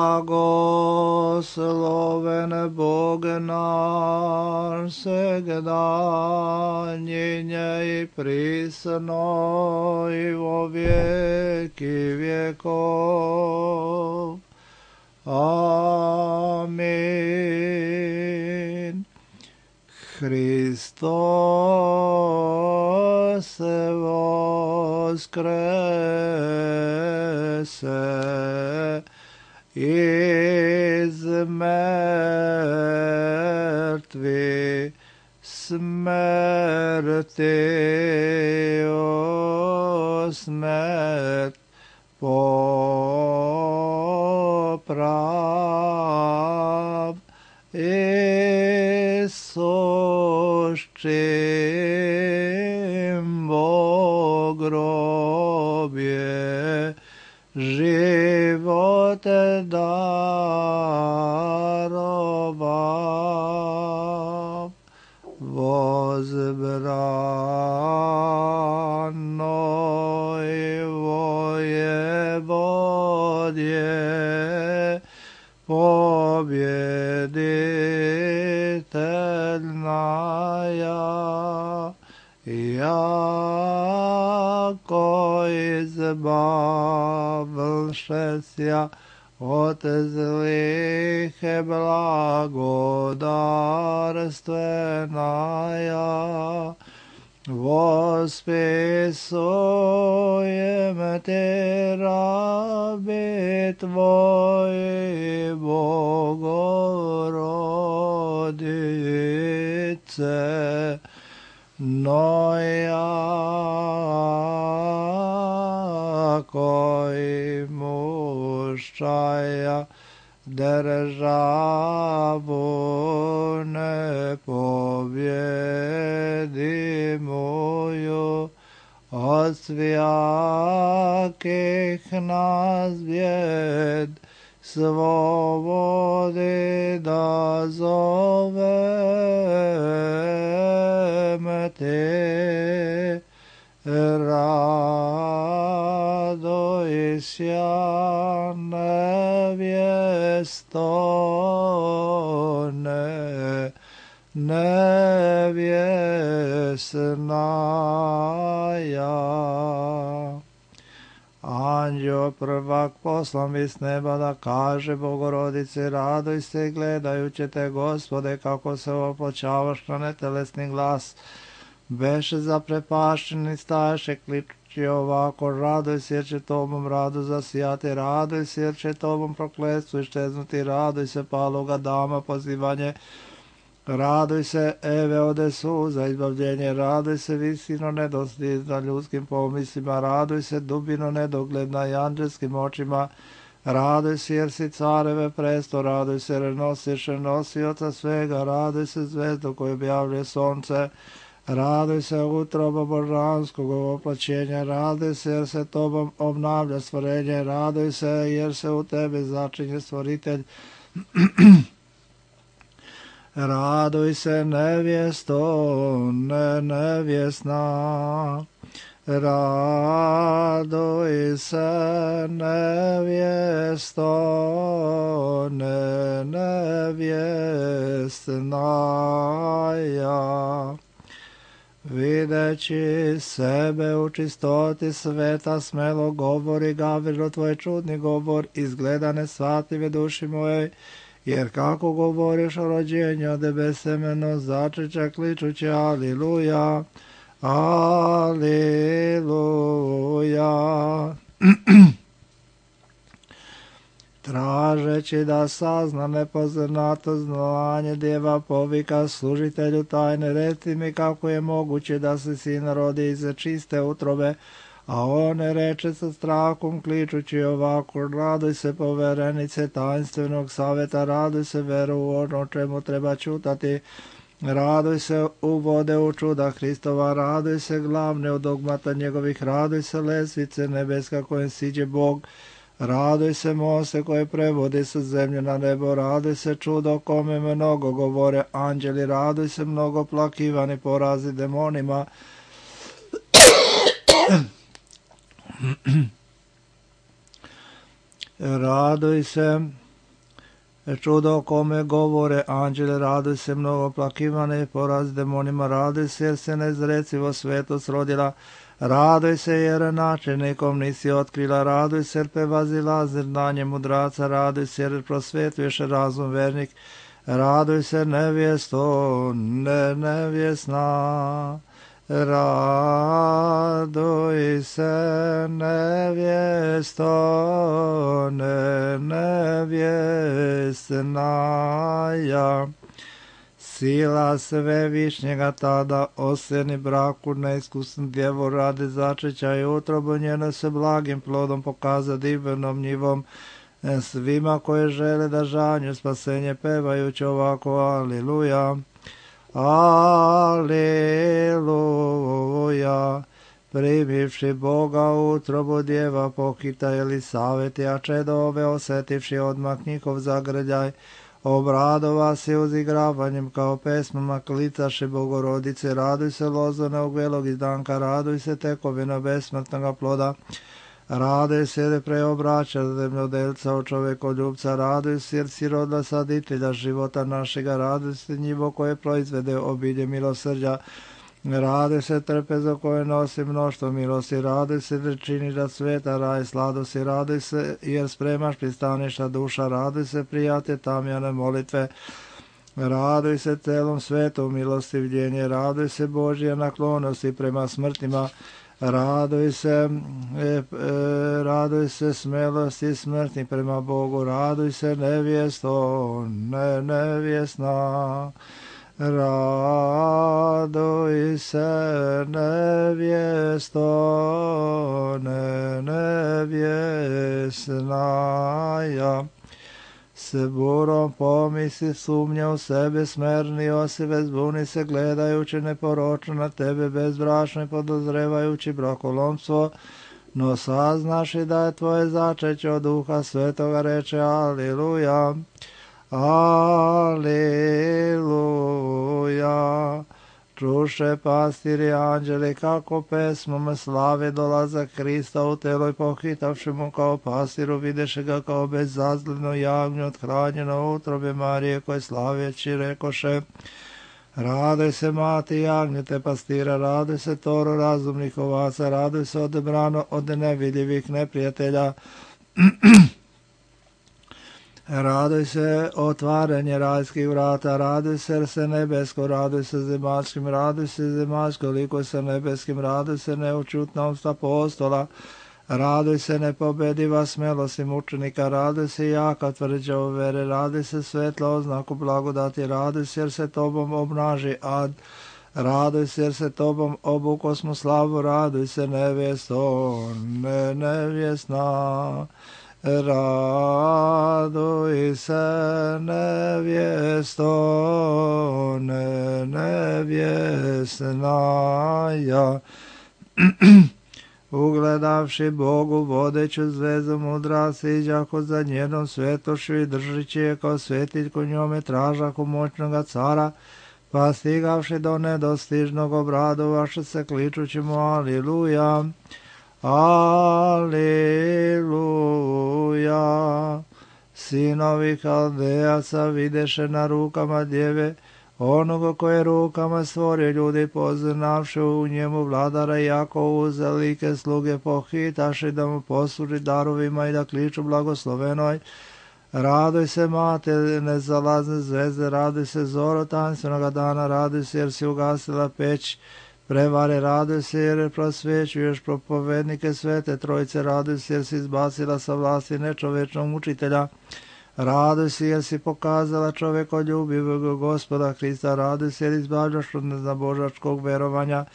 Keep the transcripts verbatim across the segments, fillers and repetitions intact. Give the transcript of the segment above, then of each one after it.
Blagosloven Bog naš, segda njenje i prisno i vo vijeki vjekov. Amin. Hristos voskrese iz mrtvih, smrti o smrt poprav, i sušćim Bog grobje, život darovav. Возбранoj vojevodje, pobjediteljnaja, jako izbavlšesja od zlih blagodarstvenaja, vospisujem te rabi tvoji, Bogorodice, no jako i muščaja državu nepobjedimuju, od svijakih nas bjed svobodi da zovem te. Radujся, nevjesto, ne, nevjesnaja. Anđeo prvak poslan iz neba da kaže Bogorodici, raduj se gledajući te, Gospode, kako se opločavaš na netelesni glas. Beše zaprepašćeni, staješe kličući ovako, raduj se jer će tobom radu zasijati, raduj se jer će tobom prokletstvo iščeznuti, raduj se paloga dama pozivanje, raduj se Eve ode suza izbavljenje, raduj se visino nedostižna ljudskim pomislima, raduj se dubino nedogledna i anđelskim očima, raduj se jer si careve presto, raduj se jer nosiš nosioca svega, raduj se zvezdo koju objavljuje sonce, raduj se utroba božanskog oplaćenja, raduj se jer se tobom obnavlja stvorenje, raduj se jer se u tebi začinje stvoritelj. Raduj se nevjesto, ne nevjesna, raduj se nevjesto, ne nevjesnaja. Videći sebe u čistoti sveta, smelo govori Gavrilo tvoj čudni govor, izgleda nesvatljive duši moje, jer kako govoriš o rođenju od besemeno začeća kličući aliluja, aliluja. Tražeći da sazna nepoznato znanje, djeva povika služitelju tajne, reci mi kako je moguće da se sin rodi iz čiste utrobe, a on reče sa strahom kličući ovako, raduj se poverenice tajnstvenog savjeta, raduj se veru u ono čemu treba čutati, raduj se u vode u čuda Hristova, raduj se glavne u dogmata njegovih, raduj se lesvice nebeska kojem siđe Bog, raduj se moste koje prevodi sa zemlje na nebo, raduj se čudo kome mnogo govore anđeli, raduj se mnogo plakivani porazi demonima. Raduj se čudo kome govore anđele, raduj se mnogo plakivane, poraz demonima, raduj se jer se nezrecivo svetost rodila, raduj se jer načelnikom nisi otkrila, raduj se jer prevazilazi znanje mudraca, raduj se jer prosvetuješ razum vernik, raduj se nevjesto, ne nevjesna. Raduj se nevjesto, ne nevjesnaja. Sila svevišnjega tada oseni braku neiskusnu djevu radi začeća i utrobu njeno se blagim plodom pokaza divnom njivom svima koje žele da žanju spasenje pevajući ovako aliluja. Aleluja, primivši Boga utrobu djeva pohita Elisaveti, a čedove osetivši odmah njihov zagrljaj, obradova se uzigravanjem kao pesmama klicaše Bogorodice, raduj se lozone ugvelog izdanka, raduj se tekovina besmrtnoga ploda, raduj se jer preobraća zemljodelca od čovekoljubca, raduj se jer si rodila saditelja života našega, raduj se njivo koje proizvede obilje milosrđa, raduj se trpezo koje nosi mnoštvo milosti, raduj se jer činiš da sveta raj sladosti, raduj se jer spremaš pristaništa duša, raduj se prijate tamjane molitve, raduj se celom svetu milostivljenje, raduj se Božja naklonosti prema smrtima, raduj se, e, e, raduj se smelosti smrtni prema Bogu, raduj se nevjesto, ne nevjesna, raduj se nevjesto, ne nevjesnaja. Se burom pomisli sumnja u sebe, smerni osive zbuni se gledajući neporočno na tebe, bezbrašno i podozrevajući brakolomstvo, no saznaš i da je tvoje začeće od Duha Svetoga, reče aliluja, aliluja. Čuše pastiri anđeli kako pesmom slave dolazak Hrista u telo i pohitavši mu kao pastiru, videše ga kao bezazleno jagnje othranjeno u utrobe Marije, koje slaveći rekoše, raduj se mati jagnjete pastira, raduj se toro razumnih ovaca, raduj se odebrano od nevidljivih neprijatelja, raduj se otvaranje rajskih vrata, raduj se jer se nebesko, raduj se zemaljskim, raduj se zemaljsko liko se nebeskim, raduj se neučutnost apostola, raduj se nepobediva smelosti mučenika, raduj se jaka tvrđa u vere, raduj se svetla oznaku blagodati, raduj se jer se tobom obnaži ad, raduj se jer se tobom obukosmo slavu, raduj se nevjesto, ne nevjesna. Raduj se nevjesto, ne nevjesnaja. Ugledavši Bogu vodeću zvezu mudra siđako za njenom svetošću i držići je kao svetiljku njome tražaku moćnoga cara, pa stigavši do nedostižnog obradovaše se kličući mu aliluja. Aleluja. Sinovi Haldejaca videše na rukama djeve onoga koje rukama stvorio ljudi, poznavši u njemu vladara, jako uzalike sluge pohitaši da mu posluži darovima i da kliču blagoslovenoj. Raduj se mate nezalazne zvezde, raduj se zoro tanstvenoga dana, raduj se jer si ugasila peć prevare, raduj se jer prosvećuješ propovednike svete trojice, raduj se jer si izbacila sa vlasti nečovečnog mučitelja, raduj se jer si pokazala čovekoljubivog Gospoda Hrista, raduj se jer izbavljaš od neznabožačkog verovanja,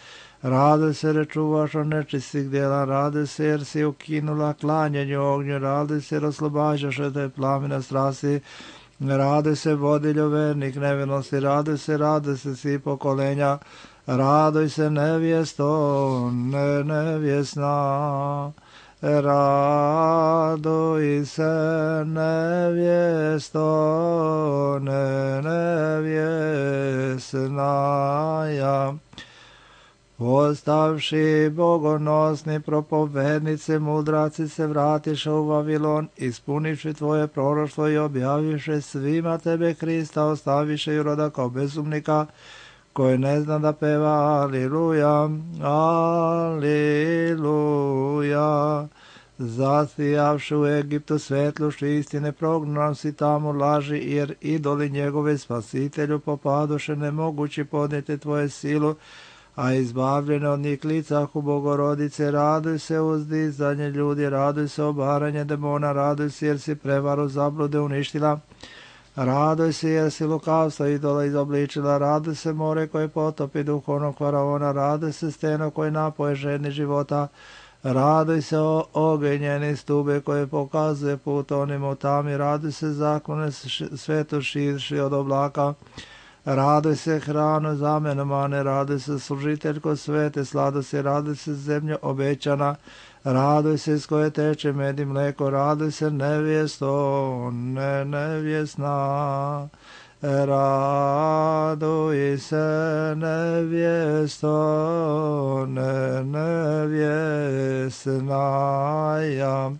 raduj se jer čuvaš od nečistih djela, raduj se jer si ukinula klanjanje ognju, raduj se jer oslobađaš od te plamene strasti, raduj se vodilju vernih nevinosti, raduj se, raduj se svi pokolenja, raduj se nevjesto, ne nevjesna, raduj se nevjesto, ne nevjesnaja. Postavši bogonosni propovednici, mudraci se vratiše u Vavilon, ispunivši tvoje proroštvo i objaviše svima tebe Hrista, ostaviše i roda kao bezumnika, koji ne zna da peva Aliluja, Aliluja. Zasijavši u Egiptu svetlošću istine, prognan si tamo laži, jer idoli njegove spasitelju popadoše, nemogući podnijeti tvoje silu, a izbavljene od njih licahu Bogorodice. Raduj se uzdizanje ljudi, raduj se obaranje demona, raduj se jer si prevaru zablude uništila, raduj se jer si lukavstvo idola izobličila, raduj se more koje potopi duhovnog faraona, raduj se steno koje napoje ženi života, raduj se o ogenjeni stube koje pokazuje put onim u tami, raduj se zakone svetu širši od oblaka, raduj se hranu zamenu mane, raduj se služiteljko svete sladosti, raduj se zemljo obećana, raduj se iz koje teče med i mleko, raduj se nevjesto, ne nevjesna, raduj se nevjesto, ne nevjesnaja.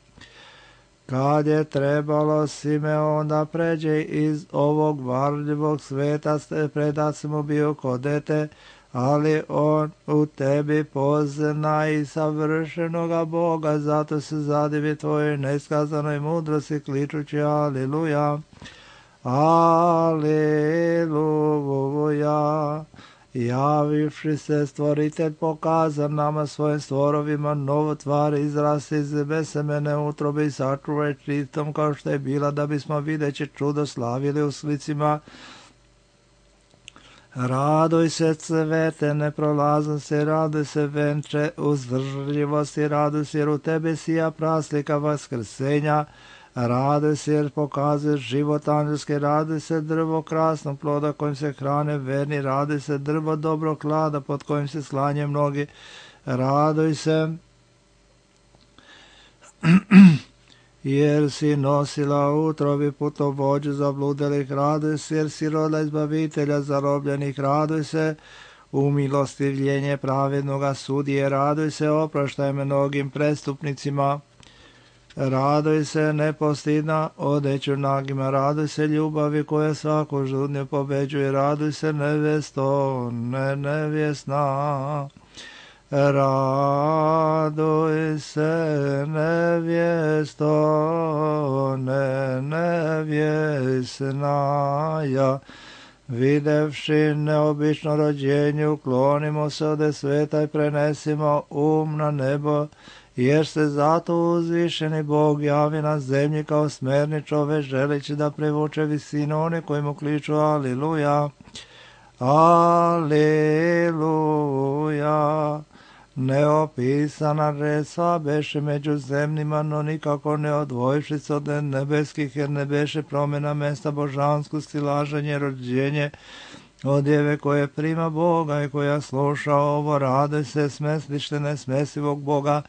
Kad je trebalo Simeon da pređe iz ovog varljivog sveta, predat mu bio ko dete, ali on u tebi pozna i savršenoga Boga, zato se zadivi tvojoj neskazanoj mudrosti, kličući Aliluja, Aliluja. Javivši se stvoritelj pokazan nama svojim stvorovima novu tvar, izrasti iz besemene utrobe i sačuvaj čistom kao što je bila, da bismo videći čudo slavili u slicima. Raduj se cvete neprolaznosti, raduj se venče uzdržljivosti, raduj se jer u tebi sija praslika vaskrsenja, raduj se jer pokazuješ život angelski, raduj se drvo krasnog ploda kojim se hrane verni, raduj se drvo dobrog klada pod kojim se slanje mnogi, raduj se jer si nosila u utrobi putovođu zabludelih, raduj se jer si roda izbavitelja zarobljenih, raduj se umilostivljenje pravednoga sudije, raduj se oproštaj mnogim prestupnicima, raduj se nepostidna odeću nagima, raduj se ljubavi koja svaku žudnju pobeđuje, raduj se nevesto, ne nevjesna, raduj se nevjesto, ne nevjesnaja. Videvši neobično rođenje, uklonimo se ode sveta i prenesimo um na nebo, jer se zato uzvišeni Bog javi na zemlji kao smerni čovek, želeći da privuče visinu one koji mu kliču Aliluja, Aliluja. Neopisana redstva beše među zemljima, no nikako ne odvojivši se od nebeskih, jer ne beše promjena mesta božanskosti, laženje, rođenje od djeve koje prima Boga i koja sluša ovo. Raduj se smeslište nesmesivog Boga,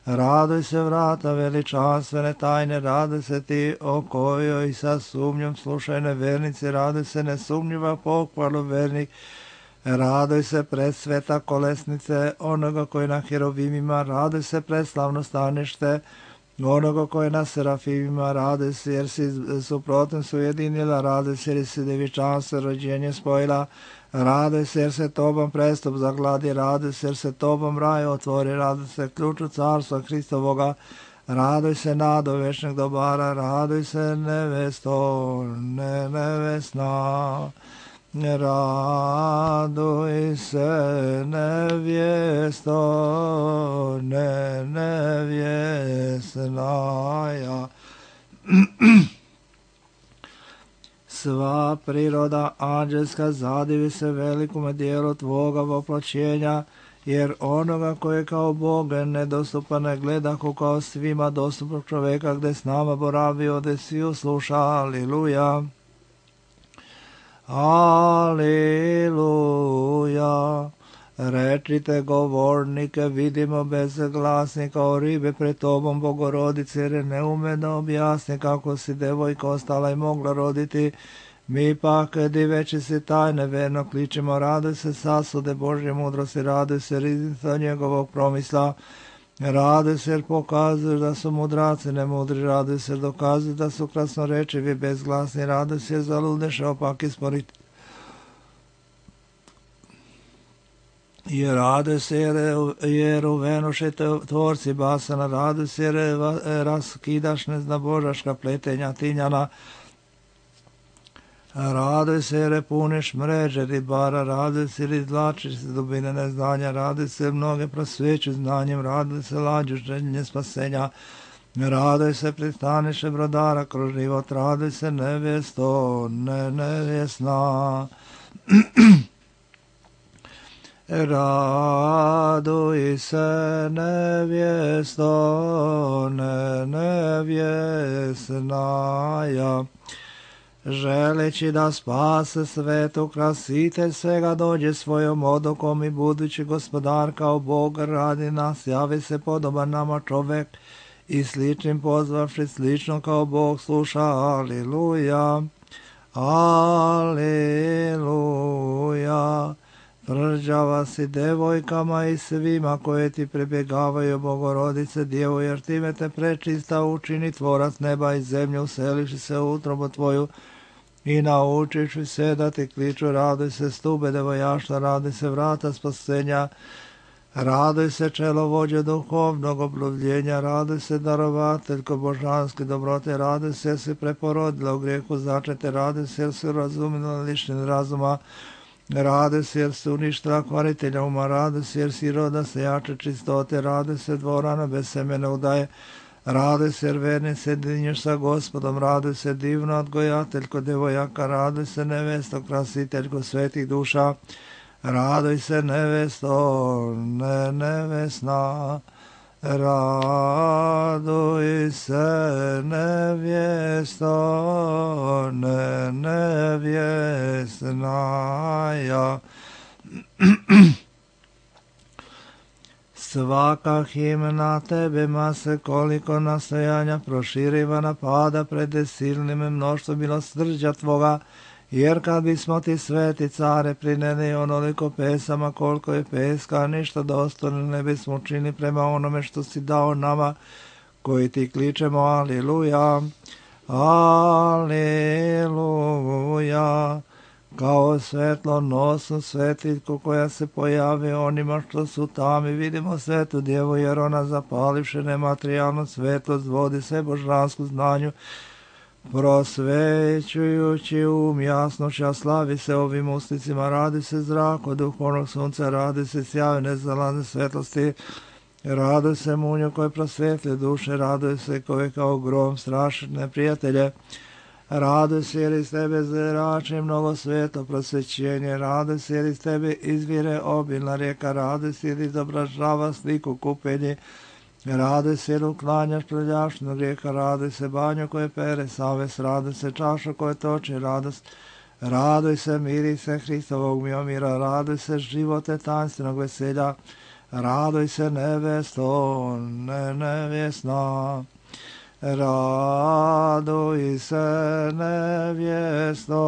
raduj se vrata veličanstvene tajne, raduj se ti o kojoj sa sumnjom slušaj nevernici, raduj se nesumnjiva pohvalu vernik, raduj se presveta kolesnice onoga koji na herovimima, raduj se preslavno stanište onoga koji na serafimima, raduj se jer si suprotno su ujedinila, raduj se jer si devičanstvo rođenje spojila, raduj se jer se tobom prestup zagladi, raduj se jer se tobom raj otvori, raduj se ključu carstva Hristovoga, raduj se nado večnih dobara, raduj se nevesto, ne nevesna, raduj se nevjesto, ne nevjesnaja. Sva priroda anđelska zadivi se velikome dijelu tvoga voplaćenja, jer onoga koji kao Bog nedostupan ne gledahu kao svima dostupnog čoveka, gde s nama boravio, gde svi sluša. Aliluja. Aliluja. Rečite govornike, vidimo bez glasnika o ribe pred tobom, Bogorodice, jer ne ume da objasni kako si devojka ostala i mogla roditi Mi pak, diveći si tajne, verno kličimo, raduj se sasude Božje mudrosti, raduj se riznica njegovog promisla, raduj se jer pokazuješ da su mudraci nemudri, raduj se jer dokazuju da su krasnorečivi bezglasni, raduj se jer zaludeš opak isporiti. I raduj se jer, jer uvenuše tvorci basana, raduj se jer raskidaš neznabožaška pletenja tinjana, raduj se jer puniš mreže ribara, raduj se jer izvlačiš se dubine neznanja, raduj se mnoge prosveću znanjem, raduj se lađu željenje spasenja, raduj se pristaniše brodara kroz život, raduj se nevjesto, ne nevjesna. Raduj se nevjesto, ne nevjesnaja, želeći da spase svetu, krasitelj svega dođe svojom odokom i budući gospodar kao Bog radi nas, javi se podoban nama čovek i sličnim pozvavši slično kao Bog sluša. Aliluja, aliluja. Tvrđava si devojkama i svima koje ti prebjegavaju, Bogorodice Djevo, jer time te prečista učini tvorac neba i zemlje, useliši se u utrobu tvoju i naučiš se da ti kliču. Raduj se stube devojaštva, raduj se vrata spasenja, raduj se čelo vođe duhovnog oblovljenja, raduj se darovateljko božanske dobrote, raduj se jer si preporodila u grijehu začete, raduj se jer si razumila lišnin razuma, raduj se jer si uništila kvaritelja uma, raduj se jer si roda sejače čistote, raduj se dvorana bez semene udaje, raduj se jer verni se dinješ sa Gospodom, raduj se divno odgojateljko devojaka, raduj se nevesto krasiteljko svetih duša, raduj se nevesto, ne nevesna, raduj se nevjesto, ne nevjesnaja. Svaka himna tebe mase koliko nastojanja proširiva napada pred silnim mnoštvo milosrđa tvoga, jer kad bismo ti sveti care prineli onoliko pesama koliko je peska, ništa dostojno ne bismo učinili prema onome što si dao nama koji ti kličemo. Aliluja, aliluja. Kao svetlo nosu svetiljku koja se pojavi onima što su tami, vidimo svetu djevu, jer ona zapalivše nematerijalno svetlost vodi se božansku znanju, prosvećujući um jasnoća, slavi se ovim usticima, radi se zrak od duhovnog sunca, radi se sjaju nezalazne svetlosti, radi se munju koje prosvetlje duše, radi se koje kao grom straši neprijatelje, radi se jer iz tebe zrači mnogo sveto prosvećenje, radi se jer iz tebe izvire obilna rijeka, radi se jer izobražava sliku kupenje, radi se jer uklanjaš prljašnog grijeka, radi se banju koje pere savest, radi se čašu koje toči radost, raduj se miri se Hristovog miomira, raduj se živote tajanstvenog veselja, raduj se nevesto, ne nevjesna, raduj se nevjesto,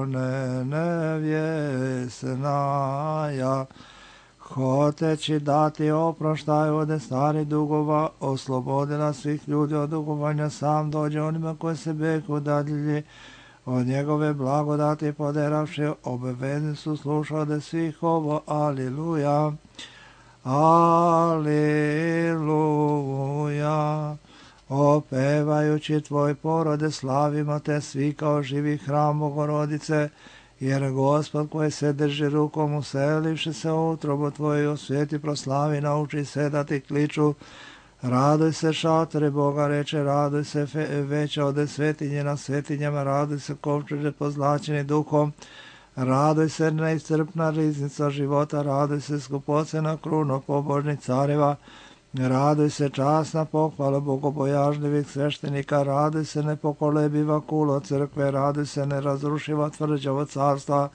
ne nevjesnaja. Hoteći dati oproštaj od starih dugova, oslobodila svih ljudi od dugovanja, sam dođe onima koji se beku dadilji od njegove blagodati poderavši, obavezni su slušali svih ovo. Aliluja, aliluja. Opevajući tvoj porode slavimo te svi kao živi hram Bogorodice, jer Gospod koji se drži rukom uselivši se u utrobu tvoju u svijeti proslavi, nauči se da ti kliču. Raduj se šatore Boga reče, raduj se veća ode svetinje na svetinjama, raduj se kovčeže pozlačeni duhom, raduj se neiscrpna riznica života, raduj se skupocena kruna pobožnih careva, raduj se časna pohvala bogobojažljivih sveštenika, raduj se nepokolebiva kulo crkve, raduj se nerazrušiva tvrđavo carstva,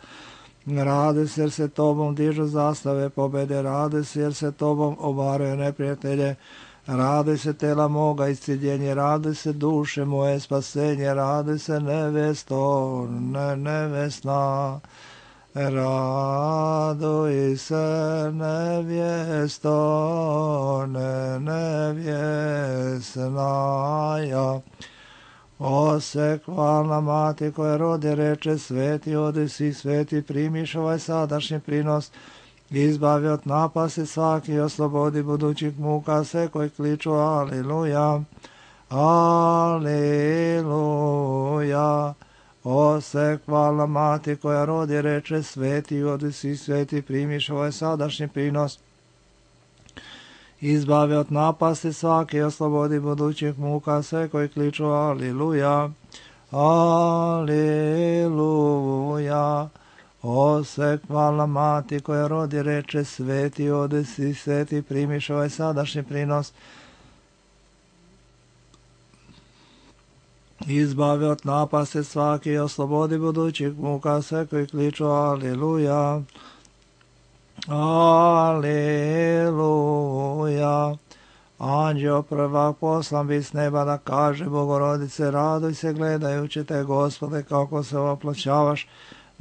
raduj se jer se tobom dižu zastave pobede, raduj se jer se tobom obaraju neprijatelje, Raduj se tela moga isciljenje, raduj se duše moje spasenje, raduj se nevesto, ne, nevesna. Raduj se nevjesto, ne, nevjesnaja. Osekvalna mati koja rodi reče, sveti odi si, sveti primiš ovaj sadašnji prinos, izbavi od napasti svaki, oslobodi budućih muka sve koji kliču aliluja, aliluja. Osekvalna mati koja rodi reče, sveti odi si, sveti primiš ovaj sadašnji prinos, izbavi od napasti svaki, oslobodi budućih muka sve koji kliču aliluja, aliluja. Osekvalna mati koja rodi reče, sveti odi si, sveti primiš ovaj sadašnji prinos, izbavi od napasti svaki, oslobodi budućih muka sve koji kliču aliluja, aliluja. Anđeo prvak poslan bi s neba da kaže, Bogorodice, raduj se gledajući te, Gospode, kako se oploćavaš.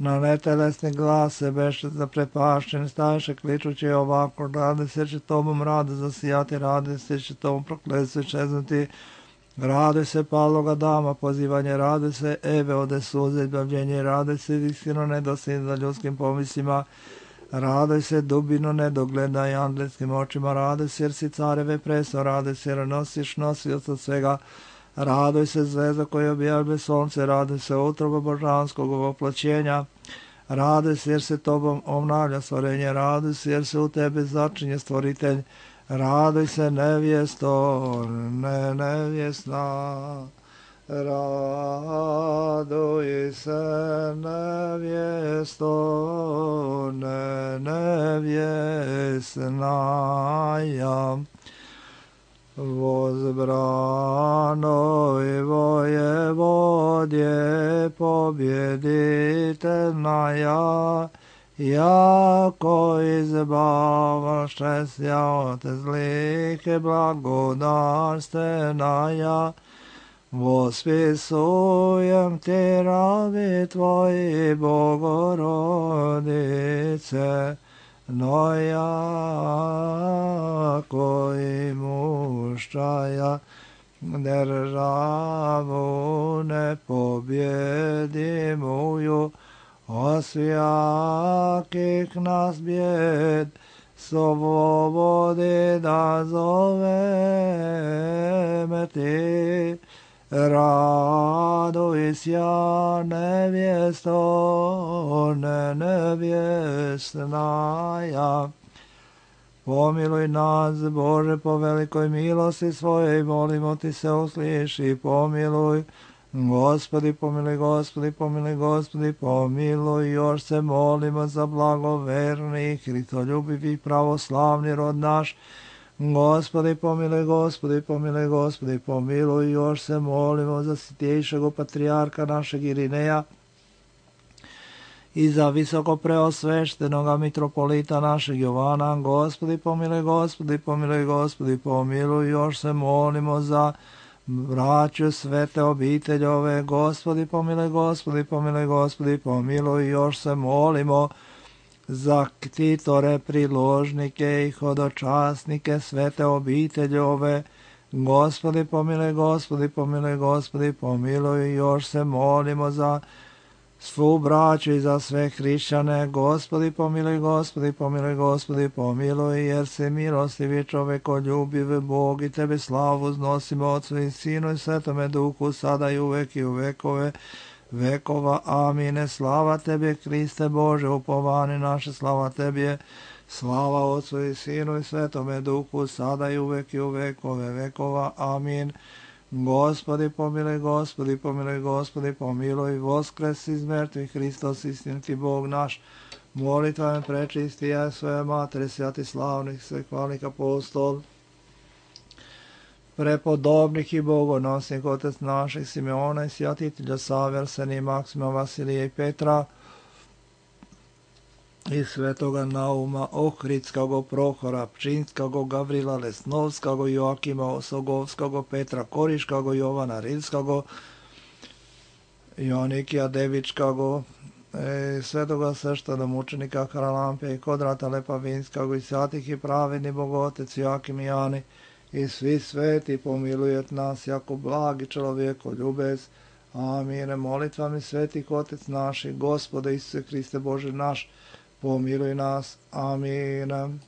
Na netelesni glas se beše zaprepašćen, staješe kličući ovako, rade se će tobom rade zasijati, rade se će tobom prokletstvo čeznuti. Raduj se paloga dama, pozivanje, raduj se Eve ode suze, izbavljenje, raduj se istino nedosljedno za ljudskim pomislima, raduj se dubino nedogleda i andelskim očima, raduj se jer si careve preso, raduj se jer nosiš nosioc od svega, raduj se zvezda koja objavlja sonce, raduj se utroba božanskog ovoploćenja, raduj se jer se tobom obnavlja stvorenje, raduj se jer se u tebe začinje stvoritelj, raduj se nevjesto, ne nevjesna, raduj se nevjesto, ne nevjesnaja. Возбранoj vojevodje pobjeditelnaja, jako izbavaše sja od zlike blagodarstvenaja, vospisujem ti rabi tvoji, Bogorodice, no jako i muščaja, državu nepobjedimuju, osvijakih nas bjed, slobodi da zoveme ti, raduj sja nevjesto, ne nevjesnaja. Pomiluj nas, Bože, po velikoj milosti svojej, molimo ti se, usliši, pomiluj. Gospodi, pomiluj, Gospodi, pomiluj, Gospodi, pomiluj, još se molimo za blagoverni, hristoljubivih pravoslavni rod naš. Gospodi, pomiluj, Gospodi, pomiluj, Gospodi, pomiluj, još se molimo za svjetejšeg patrijarka našeg Irineja i za visoko preosveštenoga mitropolita našeg Jovana. Gospodi, pomiluj, Gospodi, pomiluj, Gospodi, pomiluj, još se molimo za braću svete obiteljove. Gospodi, pomiluj, Gospodi, pomiluj, Gospodi, pomiluj, još se molimo za ktitore, priložnike i hodočasnike svete obiteljove. Gospodi, pomiluj, Gospodi, pomiluj, Gospodi, pomiluj, još se molimo za svu braću i za sve hrišćane. Gospodi, pomiluj, Gospodi, pomiluj, Gospodi, pomiluj, jer se milostivi čovekoljubiv Bog i tebe slavu uznosimo Otcu i Sinu i Svetome Duhu, sada i uvek i u vekove vekova. Amine. Slava tebi, Kriste Bože, upovani naše, slava tebi, slava Otcu i Sinu i Svetome Duhu, sada i uvek i u vekove vekova. Amin. Gospodi, pomiluj, Gospodi, pomiluj, Gospodi, pomiluj, voskres iz mrtvih, Hristos, istiniti Bog naš, molitvama prečisti ja svoje matere, svjati slavnih, svehvalnih apostol, prepodobnih i bogonosnih, otec naših Simeona i svjatitelja Save, Arsenija, Maksima, Vasilija i Petra, i svetoga Nauma Ohridskog, Prohora Pčinskog, Gavrila Lesnovskog, Joakima Osogovskog, Petra Koriškog, Jovana Rilskog, Jonikija Devičkog, e, svetoga sveštana mučenika Haralampe i Kodrata Lepavinskog i svatih i pravedni Bogotec Joakim i Jani i svi sveti pomilujet nas jako blagi čovjeko ljubez. Amine. Molitvami svetih Otec naši, Gospode Isuse Hriste Bože naš, pomiluj nas. Amin.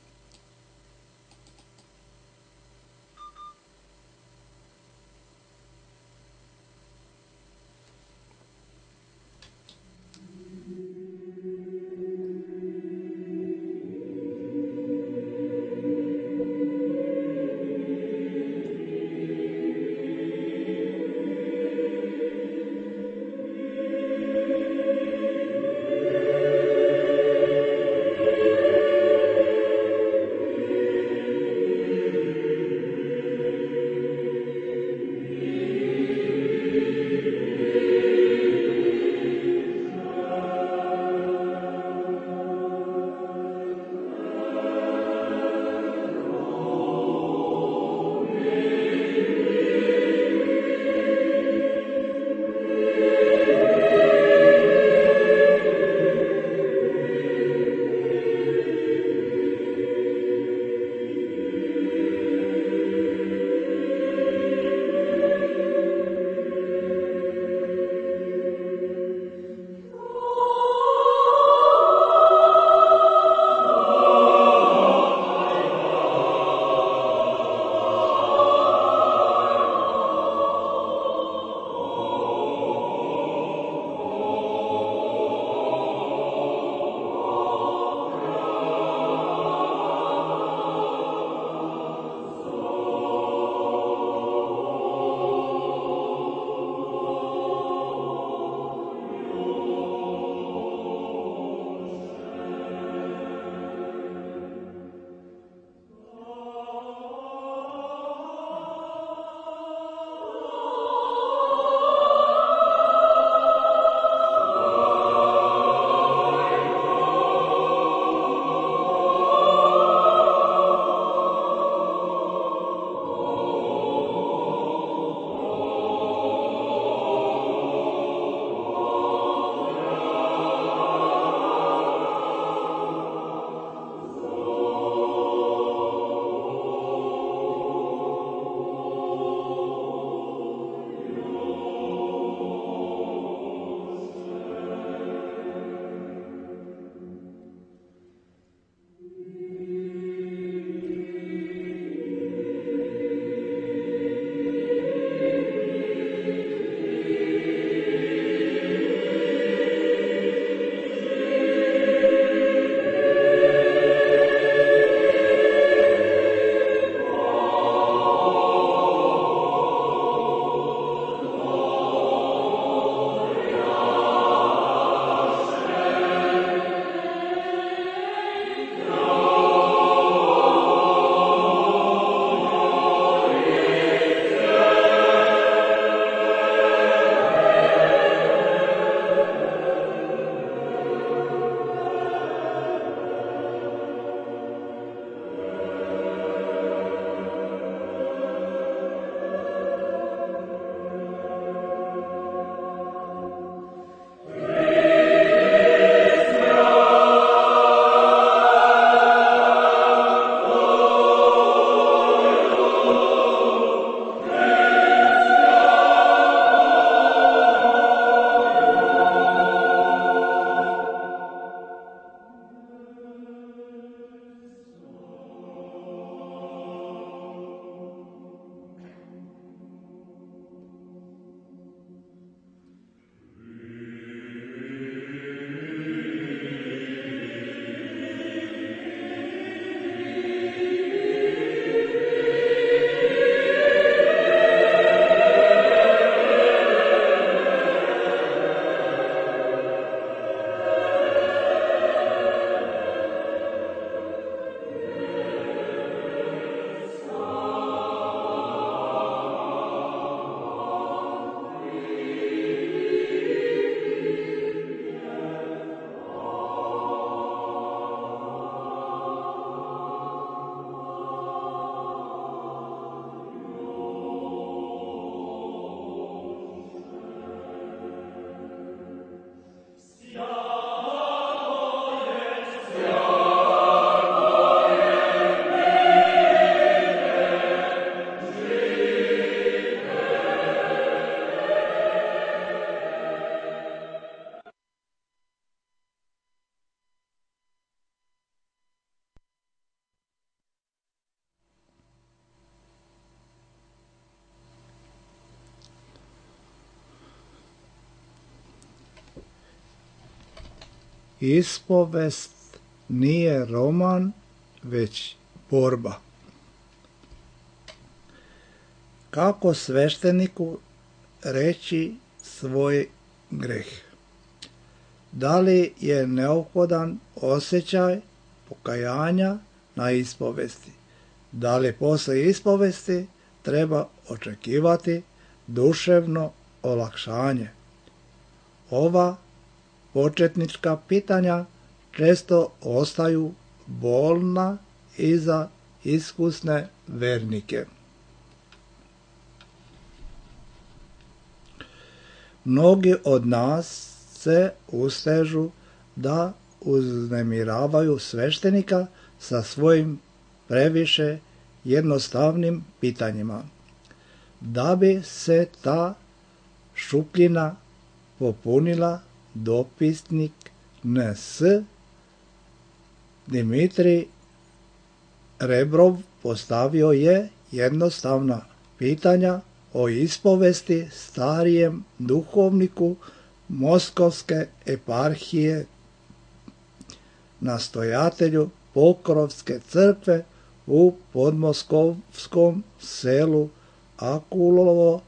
Ispovest nije roman, već borba. Kako svešteniku reći svoj greh? Da li je neophodan osjećaj pokajanja na ispovesti? Da li posle ispovesti treba očekivati duševno olakšanje? Ova početnička pitanja često ostaju bolna i za iskusne vernike. Mnogi od nas se ustežu da uznemiravaju sveštenika sa svojim previše jednostavnim pitanjima. Da bi se ta šupljina popunila, dopisnik N S Dimitrij Rebrov postavio je jednostavna pitanja o ispovesti starijem duhovniku Moskovske eparhije, nastojatelju Pokrovske crkve u podmoskovskom selu Akulovo,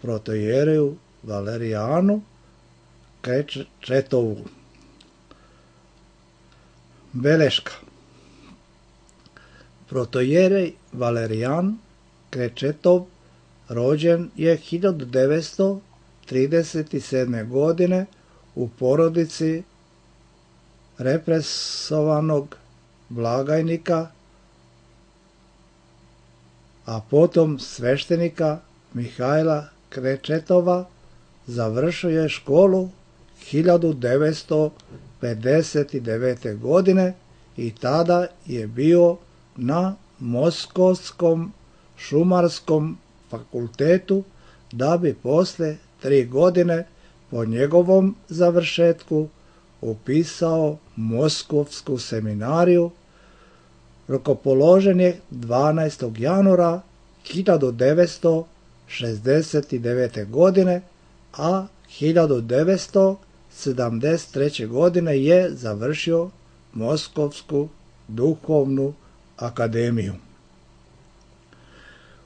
protojereju Valerijanu Krečetovu. Beleška. Protojerej Valerijan Krečetov rođen je hiljadu devetsto trideset sedme. godine u porodici represovanog blagajnika, a potom sveštenika Mihajla Krečetova. Završio je školu hiljadu devetsto pedeset devete. godine i tada je bio na Moskovskom šumarskom fakultetu, da bi posle tri godine po njegovom završetku upisao Moskovsku seminariju. Rukopoložen je dvanaestog januara hiljadu devetsto šezdeset devete. godine, a hiljadu devetsto sedamdeset treće. godine je završio Moskovsku duhovnu akademiju.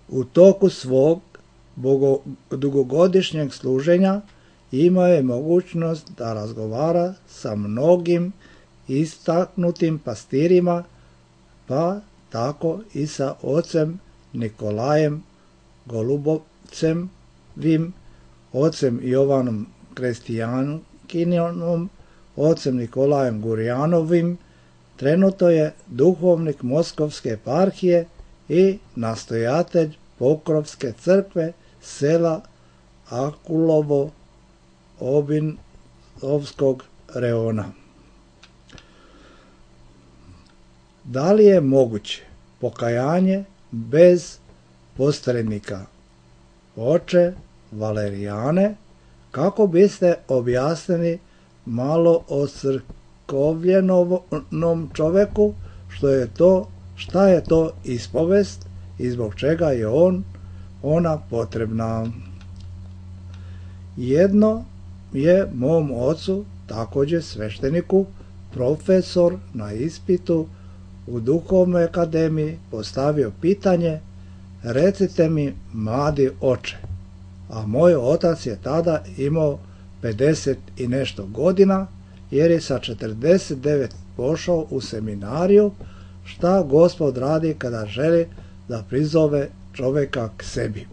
U toku svog dugogodišnjeg služenja imao je mogućnost da razgovara sa mnogim istaknutim pastirima, pa tako i sa ocem Nikolajem Golubovcem, ocem Jovanom Krestijankinom, ocem Nikolajem Gurjanovim. Trenutno je duhovnik Moskovske eparhije i nastojatelj Pokrovske crkve sela Akulovo Obinovskog reona. Da li je moguće pokajanje bez posrednika? Oče Valerijane, kako biste objasnili malo o crkovljenom čoveku, što je to, šta je to ispovest i zbog čega je on, ona potrebna? Jedno je mom ocu, također svešteniku, profesor na ispitu u duhovnoj akademiji postavio pitanje: recite mi, mladi oče, a moj otac je tada imao pedeset i nešto godina, jer je sa četrdeset devet pošao u seminariju, šta Gospod radi kada želi da prizove čoveka k sebi.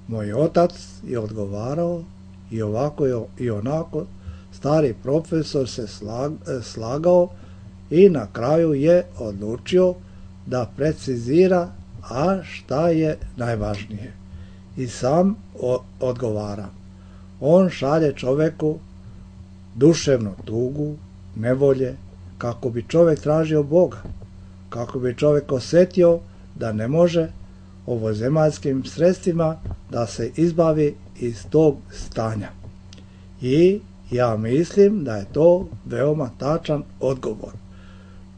Moj otac je odgovarao i ovako i onako. Stari profesor se slagao i na kraju je odlučio da precizira, a šta je najvažnije. I sam odgovara. On šalje čoveku duševnu tugu, nevolje, kako bi čovek tražio Boga, kako bi čovek osjetio da ne može ovozemaljskim sredstvima da se izbavi iz tog stanja. I ja mislim da je to veoma tačan odgovor.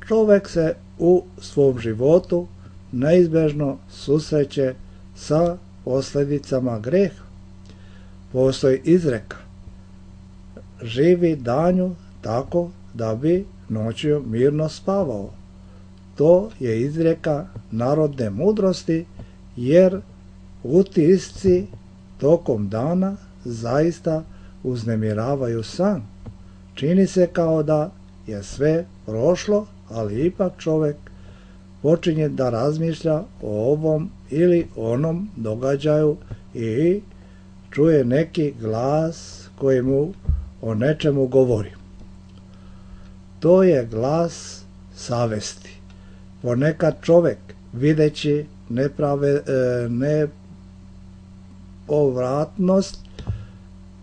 Čovek se u svom životu neizbežno susreće sa posljedicama greha. Postoji izreka: živi danju tako da bi noću mirno spavao. To je izreka narodne mudrosti, jer utisci tokom dana zaista uznemiravaju san. Čini se kao da je sve prošlo, ali ipak čovjek počinje da razmišlja o ovom ili onom događaju i čuje neki glas koji mu o nečemu govori. To je glas savesti. Ponekad čovjek, videći neprave, nepovratnost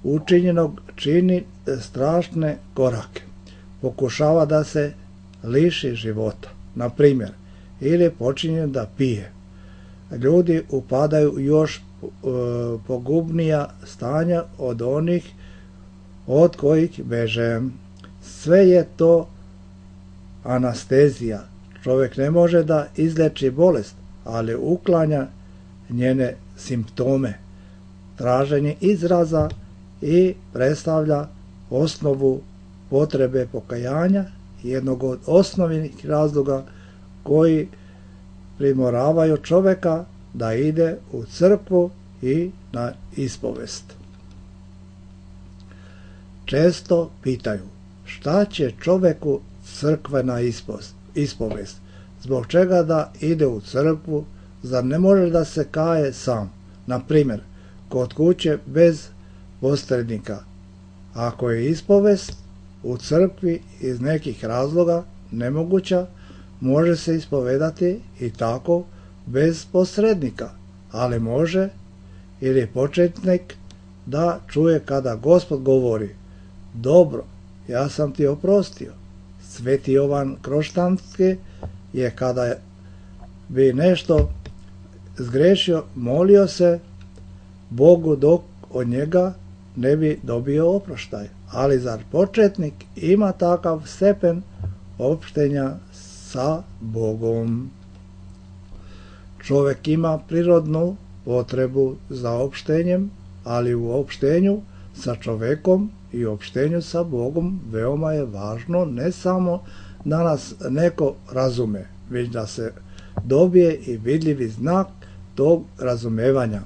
učinjenog, čini strašne korake. Pokušava da se liši života, na primjer, ili počinje da pije. Ljudi upadaju još e, pogubnija stanja od onih od kojih beže. Sve je to anestezija. Čovjek ne može da izleči bolest, ali uklanja njene simptome. Traženje izraza i predstavlja osnovu potrebe pokajanja, jednog od osnovnih razloga koji primoravaju čovjeka da ide u crkvu i na ispovest. Često pitaju šta će čovjeku crkvena ispovest, zbog čega da ide u crkvu, zar ne može da se kaje sam, na primjer kod kuće bez posrednika. Ako je ispovest u crkvi iz nekih razloga nemoguća, može se ispovedati i tako bez posrednika, ali može ili početnik da čuje kada Gospod govori: dobro, ja sam ti oprostio. Sveti Jovan Kroštanski je kada bi nešto zgrešio molio se Bogu dok od njega ne bi dobio oproštaj. Ali zar početnik ima takav stepen opštenja sa Bogom? Čovjek ima prirodnu potrebu za opštenjem, ali u opštenju sa čovjekom i opštenju sa Bogom veoma je važno ne samo da nas neko razume, već da se dobije i vidljivi znak tog razumevanja.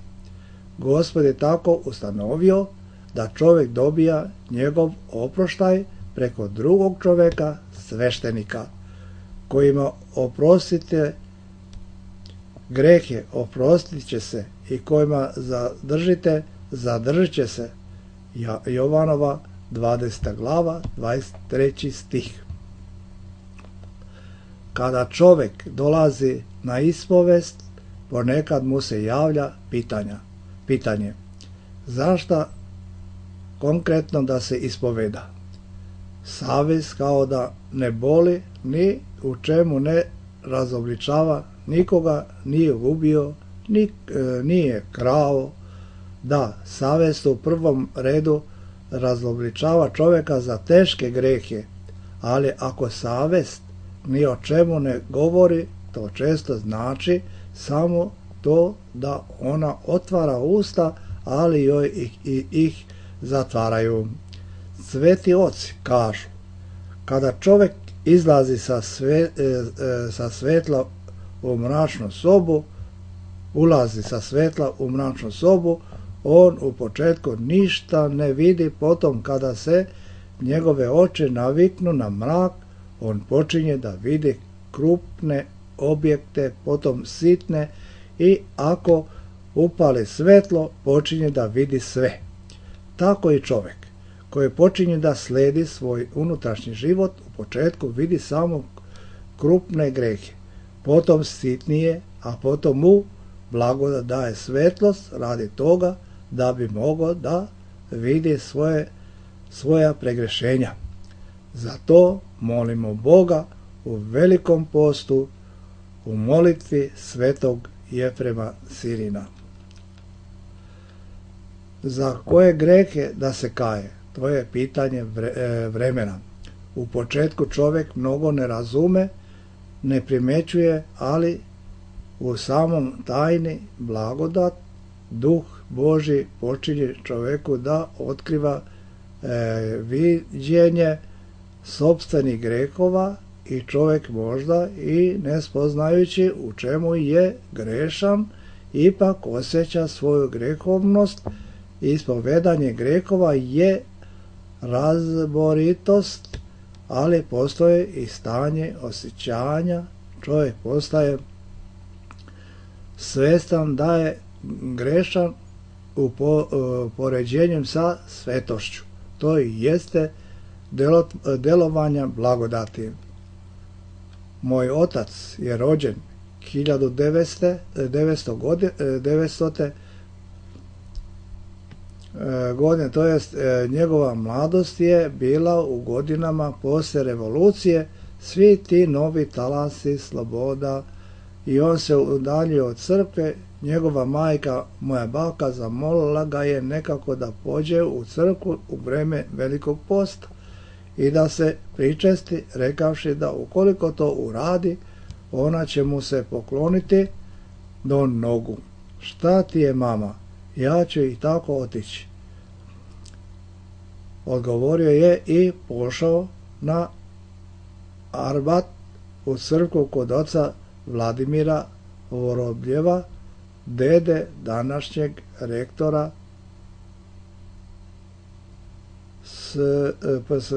Gospod je tako ustanovio da čovjek dobija njegov oproštaj preko drugog čovjeka, sveštenika, kojima oprostite grehe, oprostit će se, i kojima zadržite, zadržit će se. Jovanova dvadeseta glava, dvadeset treći stih. Kada čovjek dolazi na ispovest, ponekad mu se javlja pitanja. Pitanje: zašto konkretno da se ispoveda? Savest kao da ne boli, ni u čemu ne razobličava, nikoga nije ubio, nik, e, nije krao. Da, savest u prvom redu razobličava čovjeka za teške grehe, ali ako savest ni o čemu ne govori, to često znači samo to da ona otvara usta, ali joj ih, ih, ih zatvaraju. Sveti oci kažu: kada čovjek izlazi sa, sve, e, e, sa svetla u mračnu sobu, ulazi sa svetla u mračnu sobu, on u početku ništa ne vidi, potom kada se njegove oči naviknu na mrak, on počinje da vidi krupne objekte, potom sitne, i ako upali svetlo, počinje da vidi sve. Tako i čovjek koji počinje da sledi svoj unutrašnji život, u početku vidi samo krupne grehe, potom sitnije, a potom mu blagodat daje svetlost radi toga da bi mogao da vidi svoje, svoja pregrešenja. Zato molimo Boga u velikom postu, u molitvi svetog Jefrema Sirina. Za koje grehe da se kaje? To je pitanje vremena. U početku čovjek mnogo ne razume, ne primjećuje, ali u samom tajni blagodat Duh Božji počinje čovjeku da otkriva e, viđenje sopstvenih grehova i čovjek možda i ne spoznajući u čemu je grešan, ipak osjeća svoju grehovnost. Ispovedanje grehova je razboritost, ali postoji i stanje osjećanja. Čovjek postaje svjestan da je grešan u poređenju sa svetošću. To i jeste delovanja blagodati. Moj otac je rođen hiljadu devetsto. godine, to jest njegova mladost je bila u godinama poslije revolucije, svi ti novi talasi, sloboda, i on se udaljio od crkve. Njegova majka, moja baka, zamolila ga je nekako da pođe u crkvu u vreme Velikog posta i da se pričesti, rekavši da ukoliko to uradi, ona će mu se pokloniti do nogu. Šta ti je, mama? Ja ću i tako otići. Odgovorio je i pošao na Arbat u crkvu kod oca Vladimira Vorobljeva, dede današnjeg rektora s, s,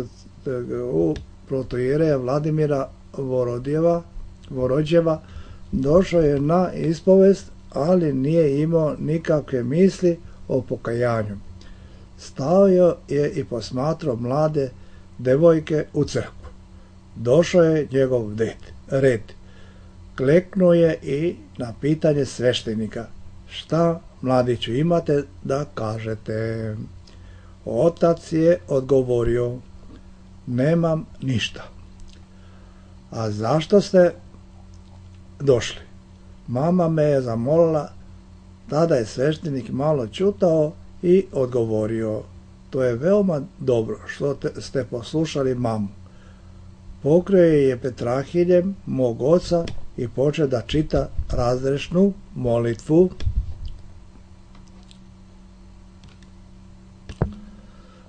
u protoijereja Vladimira Vorodjeva, Vorodjeva. Došao je na ispovest, ali nije imao nikakve misli o pokajanju. Stao je i posmatrao mlade devojke u crkvu. Došao je njegov red. Kleknuo je i na pitanje sveštenika: šta, mladiću, imate da kažete? Otac je odgovorio: nemam ništa. A zašto ste došli? Mama me je zamolila. Tada je sveštenik malo čutao i odgovorio: to je veoma dobro što te, ste poslušali mamu. Pokrio je petrahiljem mog oca i počeo da čita razrešnu molitvu.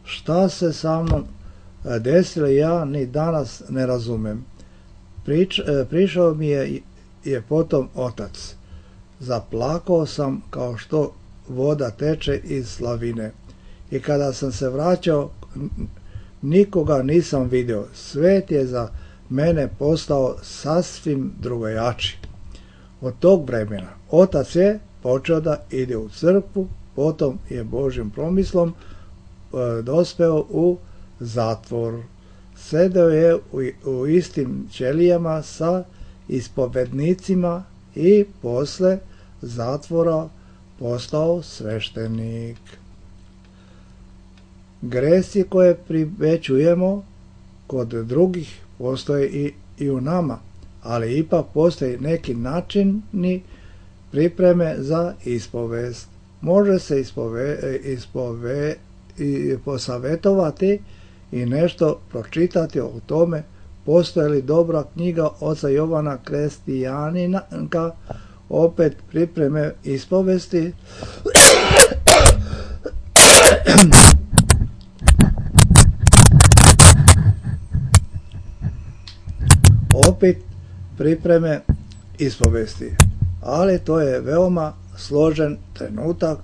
Šta se sa mnom desilo, ja ni danas ne razumem. Prič, prišao mi je, je potom otac. Zaplakao sam kao što voda teče iz slavine. I kada sam se vraćao, nikoga nisam vidio. Svet je za mene postao sasvim drugačiji. Od tog vremena otac je počeo da ide u crkvu, potom je Božjim promislom e, dospeo u zatvor. Sedeo je u, u istim ćelijama sa ispovednicima i posle zatvora postao sveštenik. Gresi koje primećujemo kod drugih postoje i, i u nama, ali ipak postoji neki načini pripreme za ispovest. Može se ispove, ispove, i posavetovati i nešto pročitati o tome. Postoji li dobra knjiga oca Jovana Krestijaninka, opet pripreme ispovesti. opet pripreme ispovesti. Ali to je veoma složen trenutak.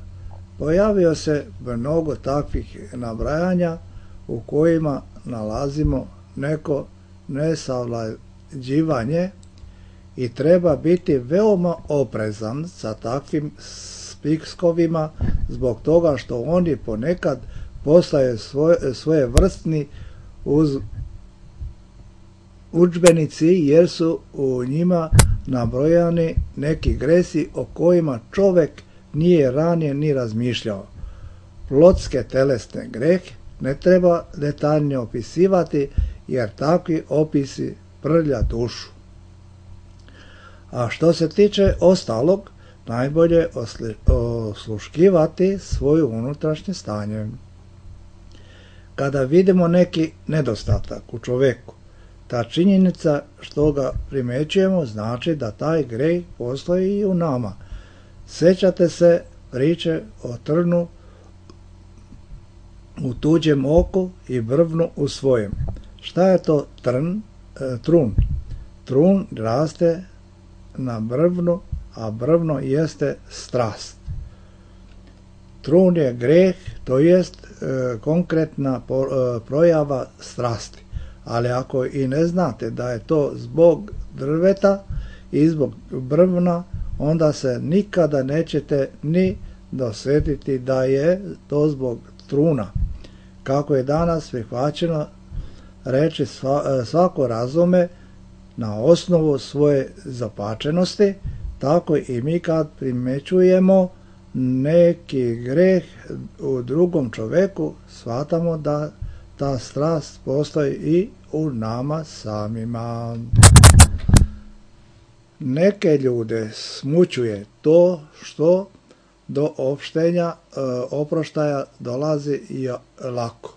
Pojavio se mnogo takvih nabrajanja u kojima nalazimo neko nesavlađivanje i treba biti veoma oprezan sa takvim spikskovima zbog toga što oni ponekad postaju svoje, svoje vrstni uz udžbenici jer su u njima nabrojani neki gresi o kojima čovjek nije ranije ni razmišljao. Plotske telesne grehe ne treba detaljno opisivati jer takvi opisi prlja dušu. A što se tiče ostalog, najbolje osluškivati svoju unutrašnje stanje. Kada vidimo neki nedostatak u čovjeku, ta činjenica što ga primećujemo znači da taj greh postoji i u nama. Sjećate se priče o trnu u tuđem oku i brvnu u svojem. Šta je to trn, e, trun? Trun raste na brvnu, a brvno jeste strast. Trun je greh, to jest e, konkretna po, e, projava strasti. Ali ako i ne znate da je to zbog drveta i zbog brvna, onda se nikada nećete ni dosjetiti da je to zbog truna. Kako je danas prihvaćeno reći svako razume na osnovu svoje zapačenosti, tako i mi kad primećujemo neki greh u drugom čovjeku, shvatamo da ta strast postoji i u nama samima. Neke ljude smućuje to što do opštenja e, oproštaja dolazi i lako.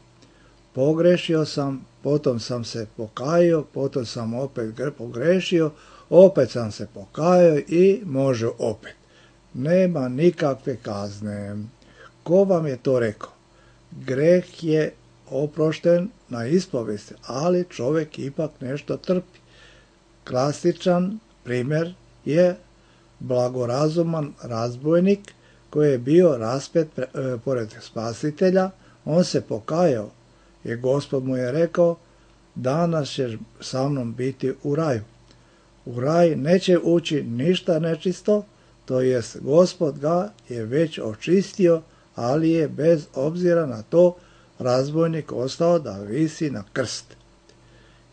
Pogrešio sam, potom sam se pokajao, potom sam opet pogrešio, opet sam se pokajao i može opet. Nema nikakve kazne. Ko vam je to rekao? Greh je oprošten na ispovesti, ali čovjek ipak nešto trpi. Klasičan primjer je blagorazuman razbojnik koji je bio raspet pre, e, pored spasitelja. On se pokajao i Gospod mu je rekao, danas ćeš sa mnom biti u raju. U raj neće ući ništa nečisto, to jest Gospod ga je već očistio, ali je bez obzira na to razbojnik ostao da visi na krst.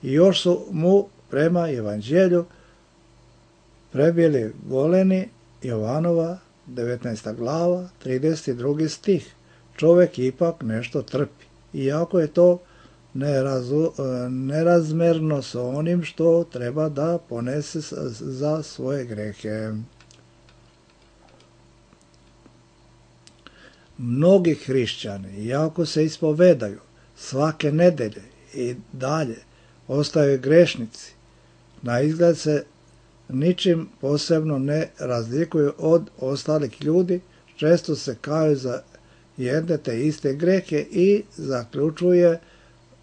I još su mu prema evanđelju prebili goleni, Jovanova devetnaesta glava, trideset drugi stih. Čovjek ipak nešto trpi, iako je to nerazu, nerazmerno s onim što treba da ponese za svoje grehe. Mnogi hrišćani, iako se ispovedaju svake nedelje i dalje, ostaju grešnici. Na izgled se ničim posebno ne razlikuju od ostalih ljudi, često se kaju za jedne te iste grehe i zaključuje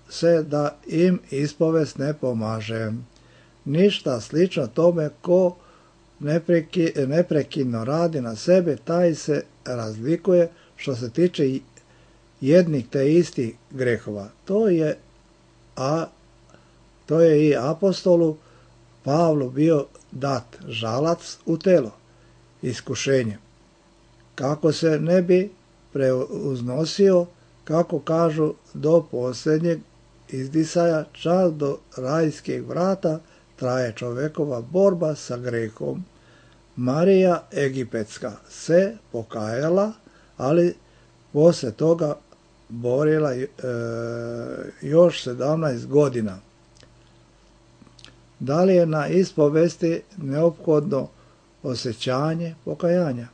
se da im ispovest ne pomaže. Ništa slično tome ko nepreki, neprekidno radi na sebe, taj se razlikuje što se tiče jednih te istih grehova. To je, a, to je i apostolu Pavlu bio dat žalac u telo, iskušenje. Kako se ne bi preuznosio, kako kažu, do posljednjeg izdisaja, čak do rajskih vrata, traje čovjekova borba sa grehom. Marija Egipetska se pokajala, ali poslije toga borila e, još sedamnaest godina. Da li je na ispovesti neophodno osjećanje pokajanja?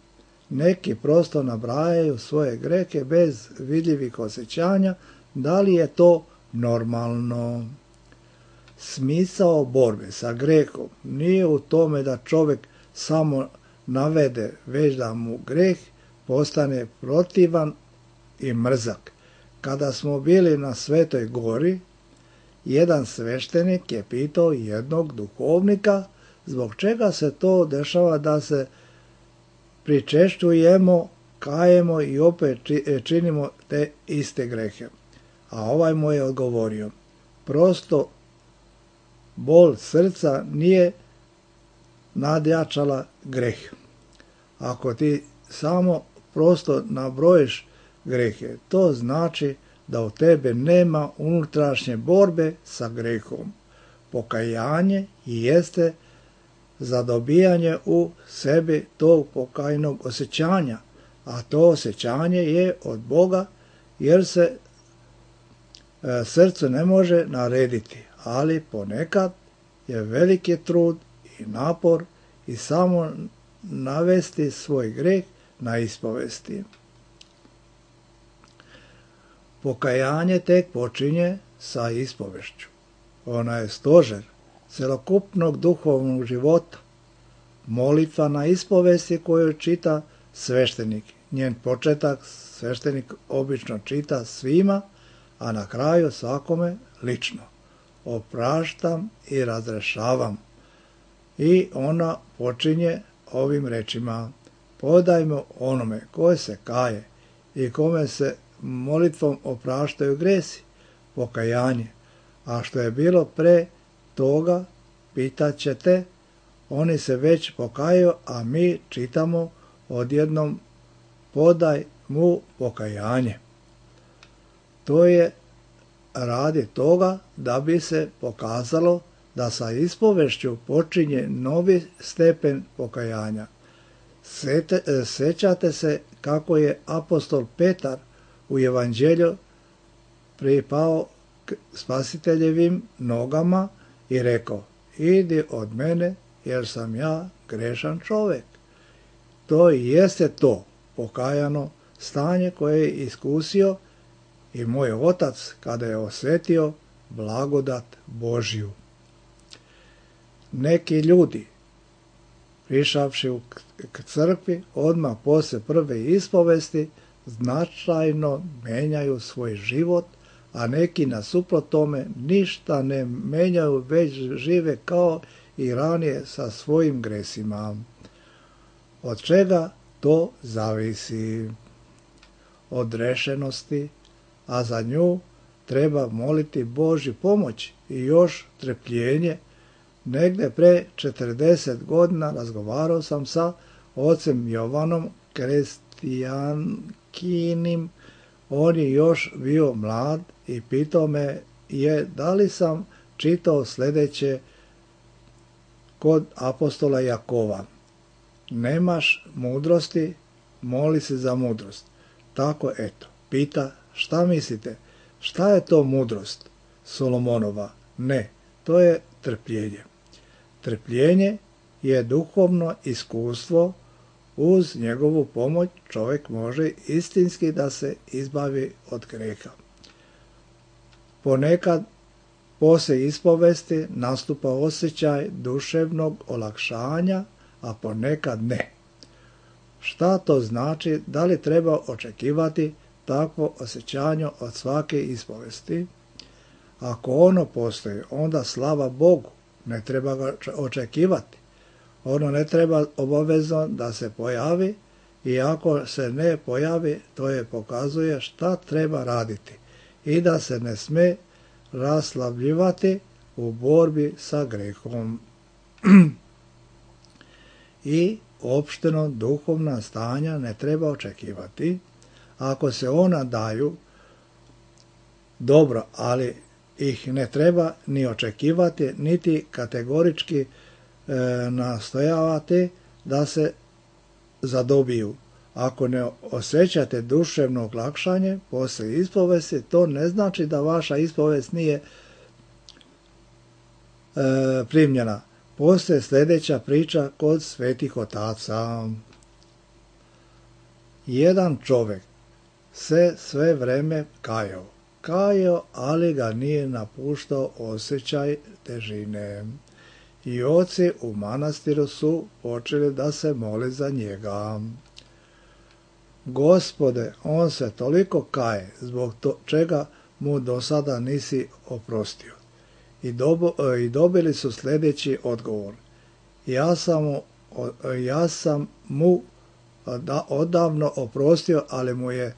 Neki prosto nabrajaju svoje grehe bez vidljivih osjećanja. Da li je to normalno? Smisao borbe sa grehom nije u tome da čovjek samo navede, već da mu greh postane protivan i mrzak. Kada smo bili na Svetoj gori, jedan sveštenik je pitao jednog duhovnika zbog čega se to dešava da se pričešćujemo, kajemo i opet činimo te iste grehe. A ovaj mu je odgovorio, prosto bol srca nije nadjačala greh. Ako ti samo prosto nabrojiš grehe, to znači da u tebe nema unutrašnje borbe sa grehom. Pokajanje jeste zadobijanje u sebi tog pokajnog osjećanja, a to osjećanje je od Boga, jer se e, srcu ne može narediti, ali ponekad je veliki trud i napor i samo navesti svoj greh na ispovesti. Pokajanje tek počinje sa ispovešću. Ona je stožer celokupnog duhovnog života. Molitva na ispovesti koju čita sveštenik. Njen početak sveštenik obično čita svima, a na kraju svakome lično. opraštam i razrešavam. I ona počinje ovim rečima: podajmo onome koje se kaje i kome se molitvom opraštaju gresi, pokajanje. A što je bilo pre toga, pitat ćete, oni se već pokajaju, a mi čitamo odjednom: podaj mu pokajanje. To je radi toga da bi se pokazalo da sa ispovešću počinje novi stepen pokajanja. Sećate se kako je apostol Petar u evanđelju pripao k Spasiteljevim nogama i rekao: idi od mene jer sam ja grešan čovjek. To i jeste to pokajano stanje koje je iskusio i moj otac kada je osjetio blagodat Božju. Neki ljudi, prišavši k crkvi, odmah posle prve ispovesti značajno menjaju svoj život, a neki nasuprot tome ništa ne menjaju, već žive kao i ranije sa svojim gresima. Od čega to zavisi? Od rešenosti, a za nju treba moliti Božju pomoć i još trpljenje. Negde pre četrdeset godina razgovarao sam sa ocem Jovanom Krestijankinim. On je još bio mlad i pitao me je da li sam čitao sljedeće kod apostola Jakova: nemaš mudrosti, moli se za mudrost. Tako eto, pita šta mislite, šta je to mudrost Solomonova? Ne, to je trpljenje. Trpljenje je duhovno iskustvo. Uz njegovu pomoć čovjek može istinski da se izbavi od grijeha. Ponekad poslije ispovesti nastupa osjećaj duševnog olakšanja, a ponekad ne. Šta to znači? Da li treba očekivati takvo osjećanje od svake ispovesti? Ako ono postoji, onda slava Bogu, ne treba ga očekivati. Ono ne treba obavezno da se pojavi, i ako se ne pojavi, to je pokazuje šta treba raditi i da se ne sme raslavljivati u borbi sa grehom. I opšteno duhovna stanja ne treba očekivati. Ako se ona daju, dobro, ali ih ne treba ni očekivati, niti kategorički e, nastojavati da se zadobiju. Ako ne osjećate duševno olakšanje poslije ispovesti, to ne znači da vaša ispovest nije e, primljena. Poslije sljedeća priča kod svetih otaca. Jedan čovjek se sve vreme kajao. Kajao, ali ga nije napuštao osjećaj težine. I oci u manastiru su počeli da se mole za njega. Gospode, on se toliko kaje, zbog to, čega mu do sada nisi oprostio. I, dobo, i dobili su sljedeći odgovor: ja sam mu, ja sam mu da, odavno oprostio, ali mu je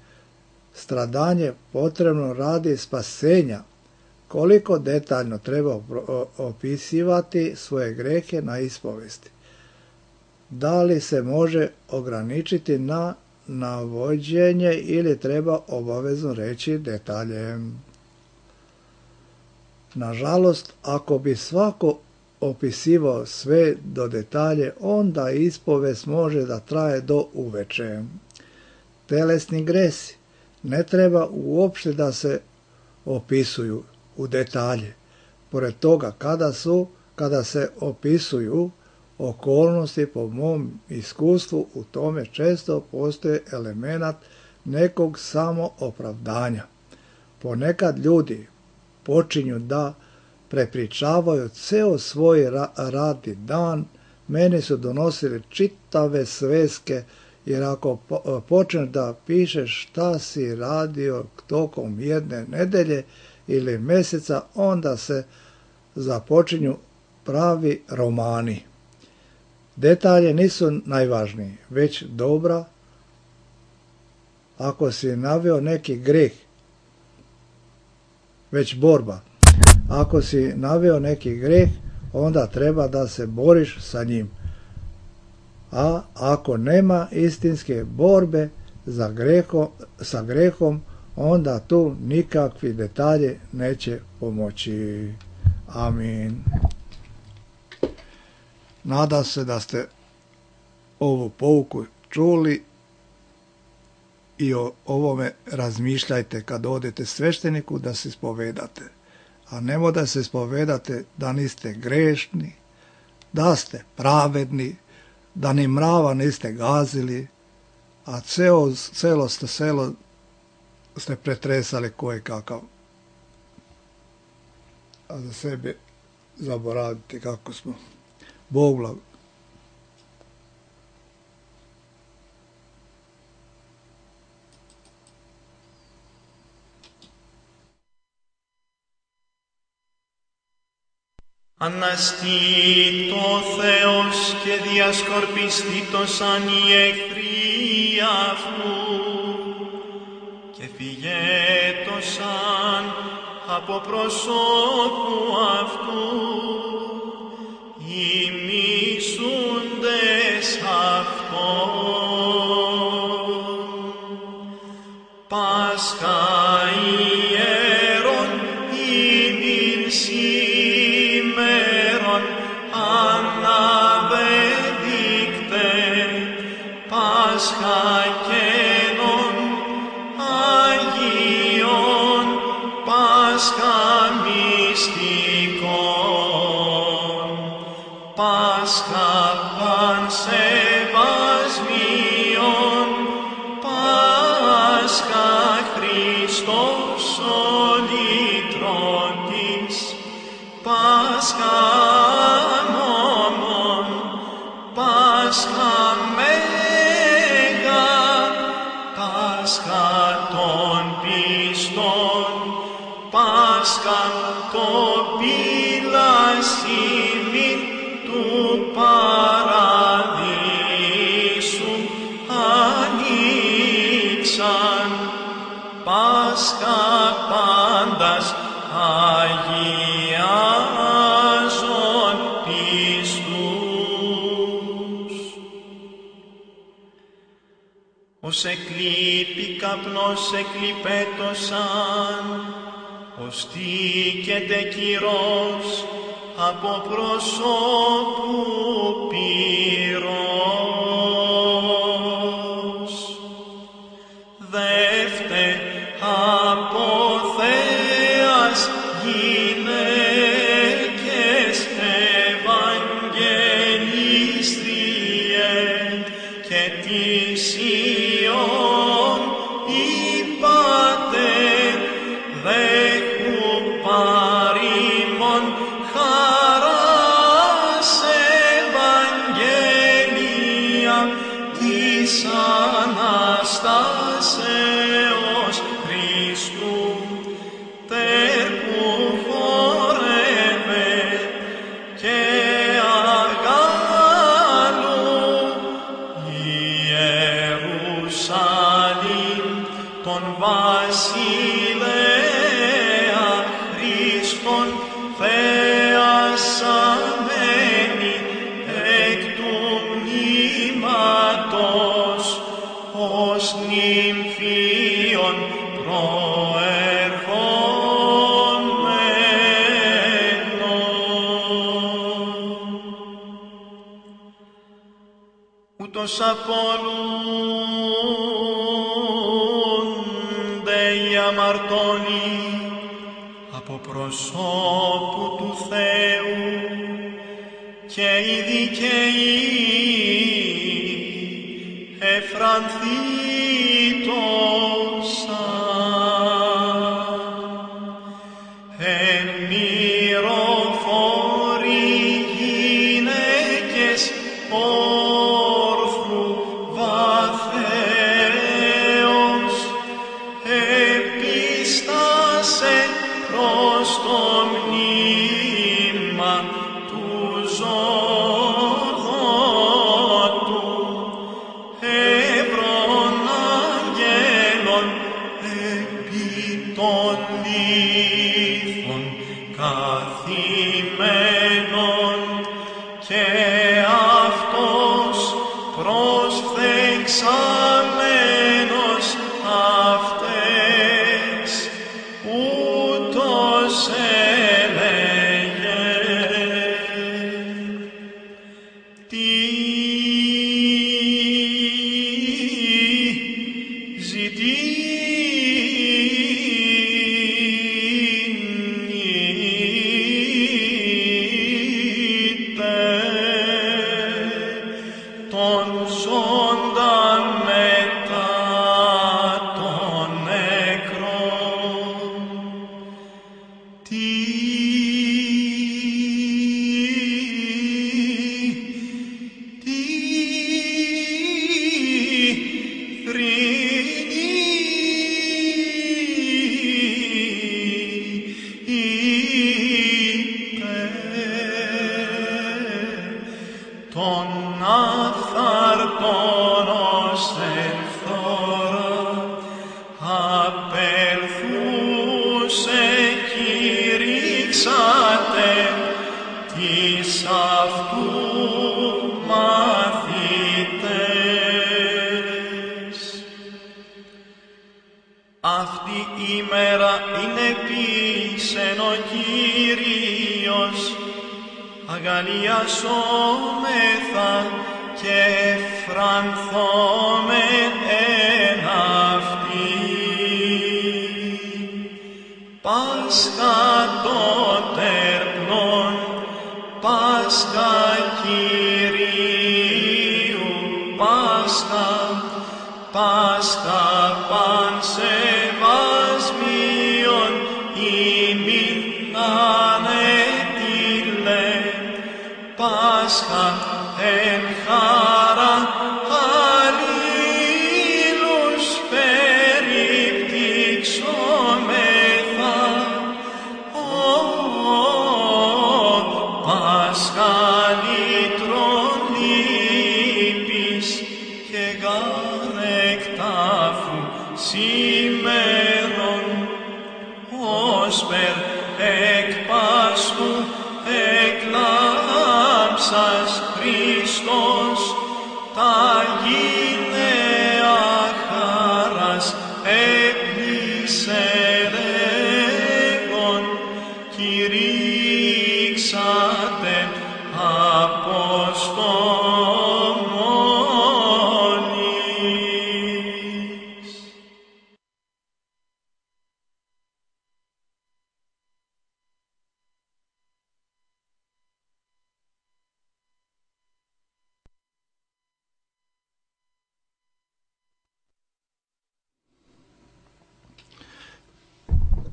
stradanje potrebno radi spasenja. Koliko detaljno treba opisivati svoje grehe na ispovesti? Da li se može ograničiti na navođenje ili treba obavezno reći detalje? Nažalost, ako bi svako opisivao sve do detalje, onda ispovest može da traje do uveče. Telesni gresi ne treba uopšte da se opisuju u detalje. Pored toga, kada su, kada se opisuju okolnosti, po mom iskustvu, u tome često postoji elemenat nekog samoopravdanja. Ponekad ljudi počinju da prepričavaju ceo svoj ra- radni dan. Meni su donosili čitave sveske, jer ako po- počneš da pišeš šta si radio tokom jedne nedelje ili mjeseca, onda se započinju pravi romani. Detalje nisu najvažniji, već dobra. Ako si naveo neki greh, već borba. Ako si naveo neki greh, onda treba da se boriš sa njim. A ako nema istinske borbe za grehom, sa grehom, onda tu nikakvi detalje neće pomoći. Amin. Nadam se da ste ovu pouku čuli i o ovome razmišljajte kad odete svešteniku da se ispovedate. A nemoj da se ispovedate da niste grešni, da ste pravedni, da ni mrava niste gazili, a celo, celo ste selo ste pretresali koje kakav. A za sebe zaboravite kako smo. Bog blago. Αναστεί το Θεός και διασκορπιστήτωσαν οι εχθροί αυτού και φυγέτωσαν από προσώπου αυτού οι μισούντες αυτόν. Πάσχα ιερών ημίν σήμερον αναβεδείκτε, Πάσχα καινών Αγίων, Πάσχα μυστικών, Πάσχα πανσεβασμίων, Πάσχα Χριστός ο λυτρωτής, Πάσχα νόμων, Πάσχα μέγα, Πάσχα των πιστών, Πάσχα το πυλασίμι του παραδείσου ανοίξαν, Πάσχα πάντας αγιάζων πιστούς. Ως εκλείπει καπνός εκλειπέτωσαν, ως τίκεται κυρός από προσώπου πυρός. Δεύτε από θέας γυναίκες ευαγγελίστριε και της Ιών είπατε δέχου παρήμων χαράς Ευαγγέλια της Αναστάσεως Χριστού, τερ που χορεύε και αγάλου Ιερουσαλήμ τον βασιλέα Χριστόν θεασαμένη εκ του μνήματος ως νυμφίων προερχόμενων. Ούτως απολούνται οι αμαρτώνοι από προσώπου του Θεού και οι δικαίοι εφρανθήτωσαν. Εν μυροφόροι γυναίκες όρθρου βαθέως επίστασε προς το μνήμα στημένον και αυτός προσθεξαμένος αυτές ούτως έλεγε. Τι αυτή η μέρα είναι πίσεν ο Κύριος, αγαλιασόμεθα και φρανθόμεν εν αυτή. Πάσχα το τερπνόν, Πάσχα Κυρίου, Πάσχα, Πάσχα πανσεβασμίων ημίν ανέτειλε, Πάσχα εν χαρά αλλήλους περιπτύξομεθα. Ω, Πάσχα λύτρων λύπης και γάρεκ τάφου σήμερον, όσπερ εκ Πάσχου εκλάμψας Χριστός τα γυναία χάρας έπλησε λέγον, κηρύξατε αποστομώνης.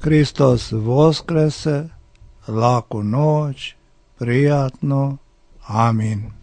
Hristos voskrese, laku noć, prijatno, amin.